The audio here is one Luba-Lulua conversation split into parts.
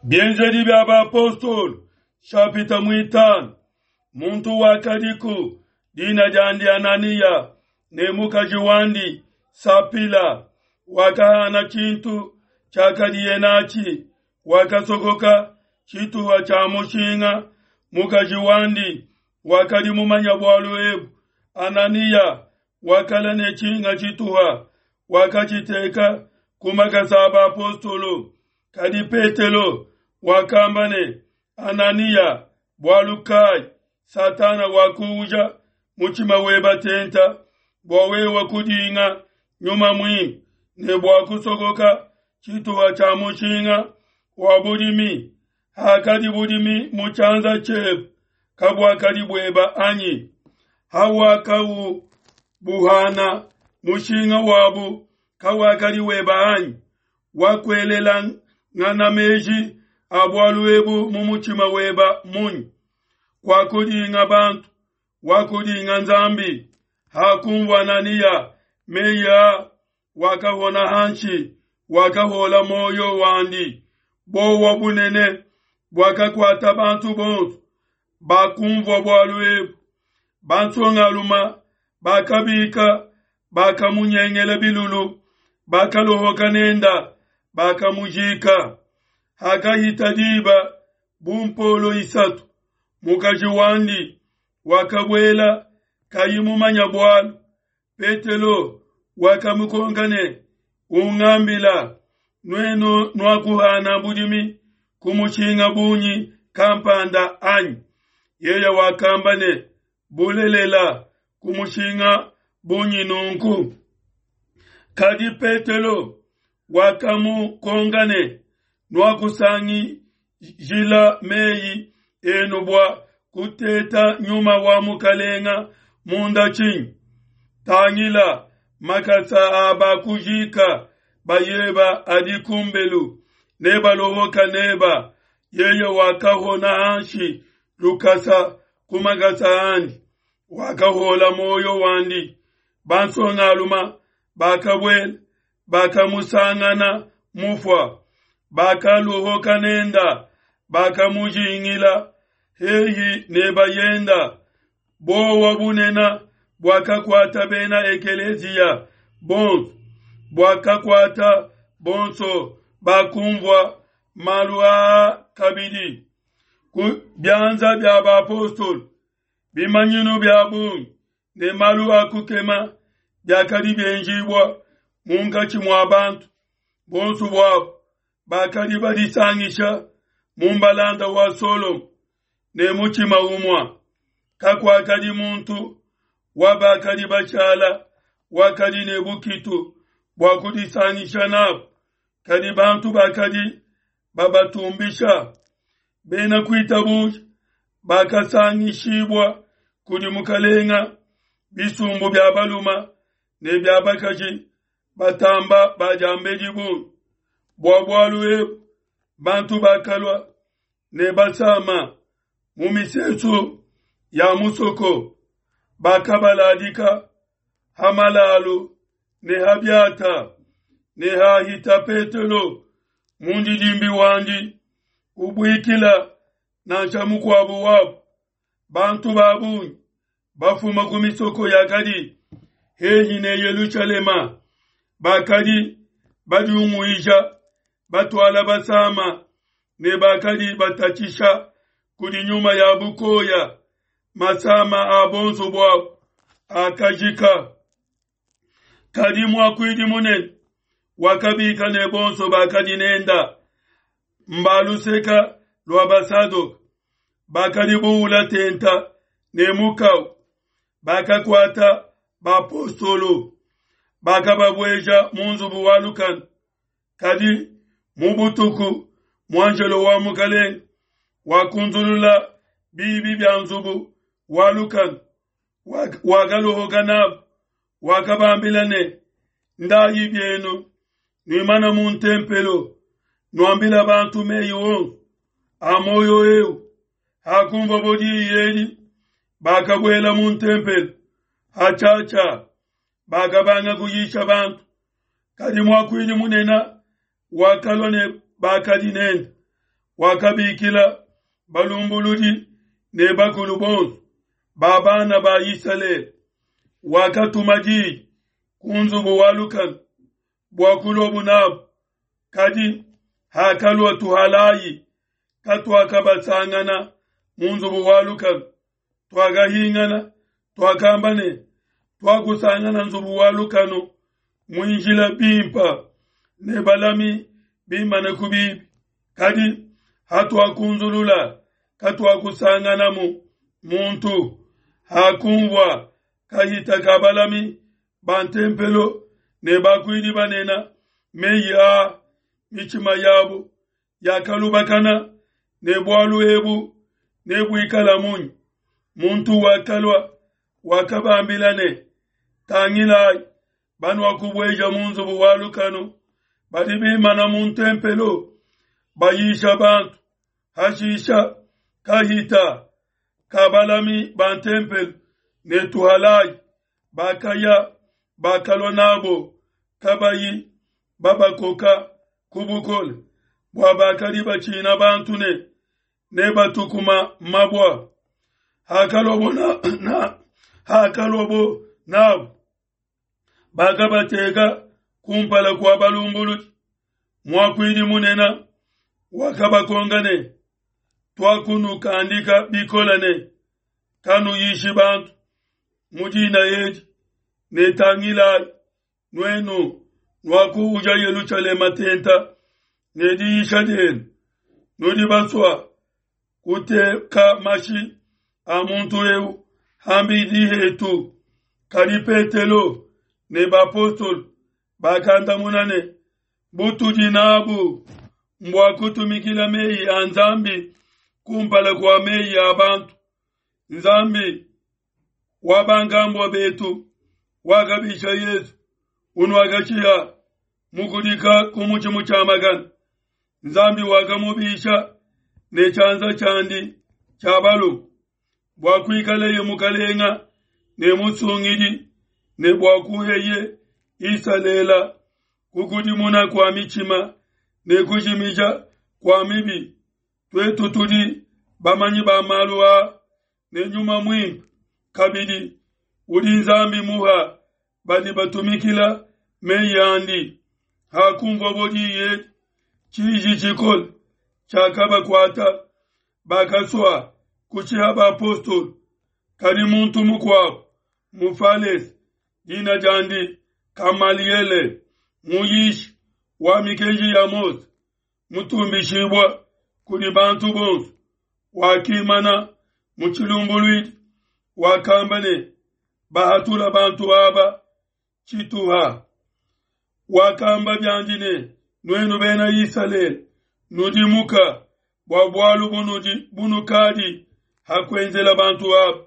Bienzedi bia Bapostolo, shapita muitanu. Muntu wakadiku dina diandi Ananiya ne mukaji wandi Sapila wakahana tshintu tshiakadiye natshi, wakasokoka tshituha tshia mushinga. Mukaji wandi wakadi mumanya bualu ebu. Ananiya wakala ne tshinga tshituha, wakatshiteka ku makasa a bapostolo. Kadi Petelo wakamba ne, Ananiya, bualu kai Satana wakuuja mutshima weba tenta bua wewe kudinga Nyuma Muimpe ne bua kusokoka tshituha tshia mushinga wa budimi? Hakadi budimi mu tshianza tshiebe, kabuakadi bueba anyi? Hawakaubuhana, mushinga wabu kawakadi weba anyi? Wakuelelangana meji a bualu ebu mu mutshima weba munyi? Kuakudinga bantu, wakudinga Nzambi. Hakunvua Ananiya meyi a, wakahona hanshi, wakahola muoyo wandi. Buowa bunene buakakuata bantu bonso bakunvua bualu ebu. Bansongaluma bakabika, bakamunyengela bilulu, bakalohoka nenda, bakamujika. Hakahita diba bu mpolo isatu, mukaji wandi wakabuela kayi mumanya bualu. Petelo wakamukonka ne, Ungambila, nuenu nuakuhana budimi ku mushinga bungi kampanda anyi? Yeye wakamba ne, Bulelela, ku mushinga bungi nunku. Kadi Petelo wakamukonka ne, Nuakusangijila meyi enu bua kuteta nyuma wa Mukalenga munda tshinyi? Tangila, makasa a bakujika bayeba adi kumbelu, nebalohoka neba. Yeye wakahona hanshi lukasa ku makasa andi, wakahola muoyo wandi. Bansongaluma bakabuela, bakamusangana mufua, bakaluhuka nenda, bakamujingila hehi ne bayenda. Buowa bunene buakakuata bena ekeleziya bonso, buakakuata bonso bakumvua malu aa kabidi. Ku bianza bia bapostolo bimanyinu bia bungi ne malu a kukema biakadi bienjibua munkatshi mua bantu. Bonso buabo bakadi badisangisha mu mbalanda wa Solomo ne mutshima umue. Kakuakadi muntu wa bakadi bashala wakadi ne bukitu bua kudisangisha nabo, kadi bantu bakadi babatumbisha. Bena kuitabuja bakasangishibua kudi Mukalenga, bisumbu bia baluma ne bia bakaji batamba ba diambedi bungi. Bua bualu ebu bantu bakalua ne basama mu misesu ya musoko, bakabaladika ha malalu ne ha biata, ne hahita Petelo mundidimbi wandi ubuikila nansha mukuabo wabo. Bantu ba bungi bafuma ku misoko yakadi hehi ne Yelushalema bakadi badiunguija, batuala basama ne bakadi batatshisha kudi nyuma ya bukoya. Masama a bonso buabo akajika. Kadi muakuidi munene wakabika ne bonso bakadi nenda mba luseka lua Basadoke, bakadi buula tenta ne mukau, bakakuata bapostolo, bakababueja mu nzubu wa lukanu. Kadi mu butuku muanjelo wa Mukalenge wakunzulula biibi bia nzubu wa lukanu, wakalohoka nabo, wakabambila ne, Ndayi bienu, nuimana mu ntempelo, nuambila bantu meyi onso a muoyo eu. Hakunvua diyi edi, bakabuela mu ntempelo hatshiatshia, bakabanga kuyisha bantu. Kadi muakuidi munene wakalua ne bakadi nende, Wakabikila balumbuludi ne bakulu bonso ba bana ba Isalele, wakatuma diyi ku nzubu wa lukanu bua kuluabu nabu. Kadi hakalua tuhalai, katuakabasangana mu nzubu wa lukanu. Tuakahingana, tuakamba ne, Tuakusangana nzubu wa lukanu muinjila bimpe ne balami bimane ku bibi, kadi hatuakunzulula, katuakusanganamu muntu. Hakunvua kahita ka balami ba ntempelo ne bakuidi banene meyi aa, mitshima yabo yakalubakana ne bualu ebu nebuikala munyi? Muntu wakalua wakabambila ne, Tangilai, banuakubueja mu nzubu wa lukanu badi bimana mu ntempelo bayisha bantu. Hashisha kahita ka balami ba ntempelo ne tuhalai bakaya, bakalua nabo kabayi babakoka ku bukole, bua bakadi batshina bantu ne nebatukuma mabua. Hakaluabo nabo, bakabateka kumpala kua balumbuludi. Muakuidi munene wakabakonka ne, Tuakunukandika bikole ne, kanuyishi bantu mu dina edi, ne tangilai, nuenu nuakuuja Yelushalema tenta ne diyisha dienu, nudi basua kuteka mashi a muntu eu ham'bidi hetu. Kadi Petelo ne bapostolo bakandamuna ne, Butudi nabu mbua kutumikila meyi a Nzambi kumpala kua meyi a bantu. Nzambi wa bankambua betu wakabisha Yesu, unuakashiha mukudika ku mutshi mutshiamakane. Nzambi wakamubisha ne tshianza tshiandi tshia balume bua kuikaleye mukalenga ne musungidi, ne bua kuheye Isalele kukudimuna kua mitshima ne kujimija kua mibi. Tuetu tudi bamanyi ba malu aa ne Nyuma Muimpe kabidi udi Nzambi muha badi batumikila meyi andi. Hakunvuabo diyi edi, tshiji tshikole tshiakabakuata, bakasua kushiha bapostolo. Kadi muntu mukuabo Mufalese, dina diandi Kamaliele, muyishi wa mikenji ya Mose, mutumbishibua kudi bantu bonso, wakimana mu tshilumbuluidi, wakamba ne, Bahatula bantu aba tshituha. Wakamba biandi ne, Nuenu Bena Isalele, nudimuka bua bualu bunudi bunukadi ha kuenzela bantu aba,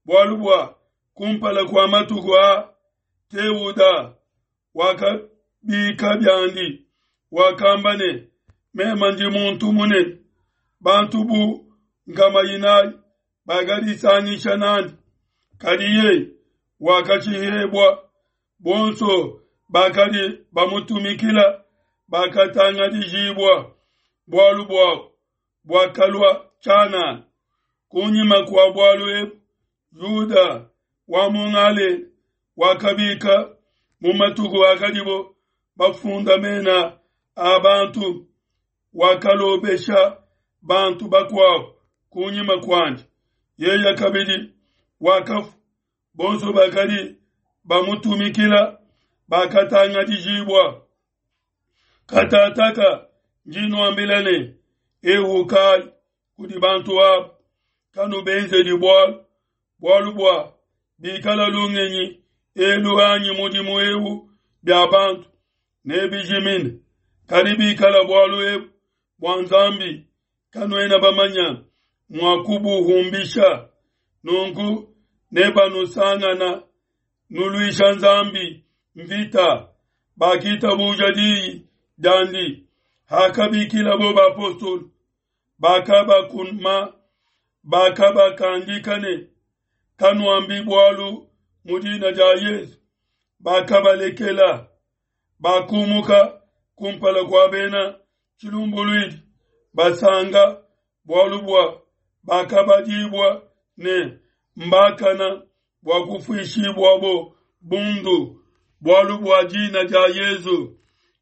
bualu bua kumpala kua matuku a Teuda wakabika biandi, wakamba ne, Meme ndi muntu munene. Bantu bu nkama inayi bakadisangisha nandi, kadi yeye wakashihebua, bonso bakadi bamutumikila bakatangadijibua, bualu buabo buakalua tshianana. Kunyima kua bualu ebu, Yuda wa mu Galela wakabika mu matuku akadibo bafunda mena a bantu, wakalobesha bantu bakuabo kunyima kuandi. Yeye kabidi wakafua, bonso bakadi bamutumikila bakatangadijibua. Katataka ndi nuambila ne, ehukai kudi bantu aba, kanubenzedi bualu, bualu bua bikala lungenyi elu anyi mudimu eu bia bantu, nebijimine. Kadi bikala bualu ebu bua Nzambi, kanuena bamanya mua kubuhumbisha. Nunku nebanusangana nuluisha Nzambi mvita. Bakitabuja diyi diandi hakabikilabo bapostolo, bakabakuma, bakabakandika ne, Kanuambi bualu mu dina dia Yesu. Bakabalekela, bakumuka kumpala kua bena tshilumbuluidi. Basanka bualu bua bakabadibua ne mbakana bua kufuishibuabo bundu bualu bua dina dia Yezu.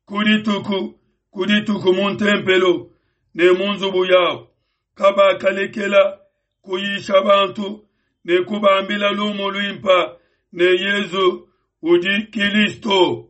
Ku dituku ku dituku mu ntempelo ne mu nzubu yabo, kabakalekela kuyisha bantu ne kubambila lumu luimpa ne Yezu udi Kilisto.